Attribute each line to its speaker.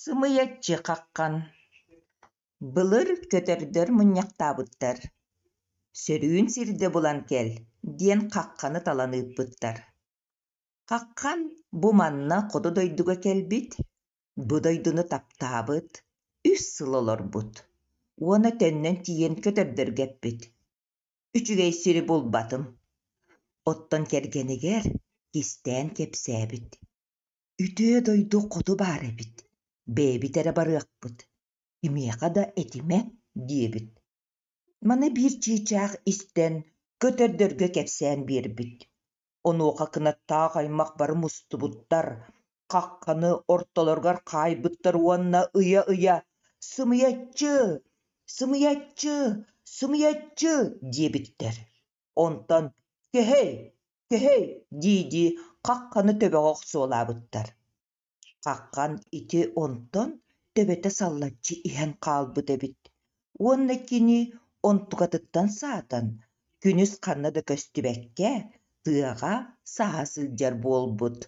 Speaker 1: Сымыйаччы хаххан Былыр көтөрдөр мунньахтаабыттар: «Сөрүүн сирдэ булан кэл» диэн хахханы талан ыыппыттар. Хаххан бу манна хоту дойдуга кэлбит, бу дойдуну таптаабыт, үс сыл олорбут уонна төннөн тиийэн көтөрдөргө эппит: «Үчүгэй сири булбатым». Оттон кэргэнигэр кистээн кэпсээбит: «Үтүө дойду хоту баар эбит, бэйэбит эрэ барыахпыт, кимиэхэ да этимэ» диэбит. Маны биир чыычаах истэн, көтөрдөргө кэпсээн биэрбит. Онуоха кынаттаах аймах бары мустубуттар, хахханы ортолоругар хаайбыттар уонна ыйа-ыйа «Сымыйаччы! Сымыйаччы! Сымыйаччы!» диэбиттэр. Онтон «Кэһэй! Кэһэй!» дии-дии хахханы төбөҕө охсуолаабыттар. Хаххан ити онтон төбөтө саллаччы иһэн хаалбыт эбит уонна кини онтукатыттан саатан, күнүс ханна да көстүбэккэ, тыаҕа саһа сылдьар буолбут.